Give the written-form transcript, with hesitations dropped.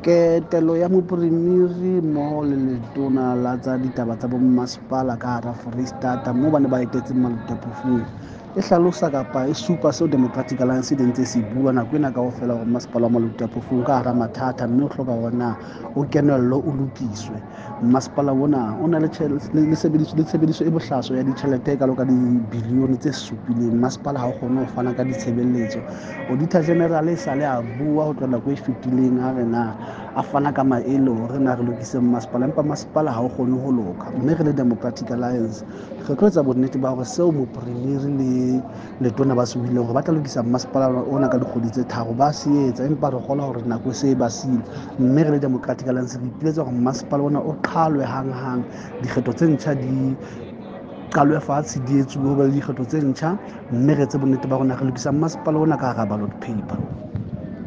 Ketelo ya Mopremiri mmoho le Letona la tsa Ditaba tsa Bommasepala ka hara Foreisetata moo ba ne ba etetse Maluti-a-Phofung e hlalosa kapa e supa seo Democratic Alliance e ntse se bua nako ena kaofela hore masepala wa Maluti-a-Phofung ka hara mathata mme o hloka hore na o kenello o lokiswe. Masepala ona o na le tshebediso e bohlaswa ya ditjhelete e kalo ka dibilione tse supileng. Masepala ha o kgone ho fana ka ditshebeletso. Auditor General e sale a bua ho tloha nako e fetileng a re na a fana ka maele hore na re lokise masepala, empa masepala ha o kgone ho loka. Mme re le Democratic Alliance re tlo etsa bonnete ba hore seo mopremiri le letona ba se buileng hore ba tla lokisa masepala ona ka dikgwedi tse tharo ba se etsa, empa re kgolwa hore nako e se e ba siile. Mme re le Democratic Alliance re ipiletsa hore masepala ona o qhalwe hanghang, dikgetho tse ntjha di qalwe fatshe, di etsuwe ho be le dikgetho tse ntjha, mme re etse bonnete ba rona re lokisa masepala ona ka hara ballot paper.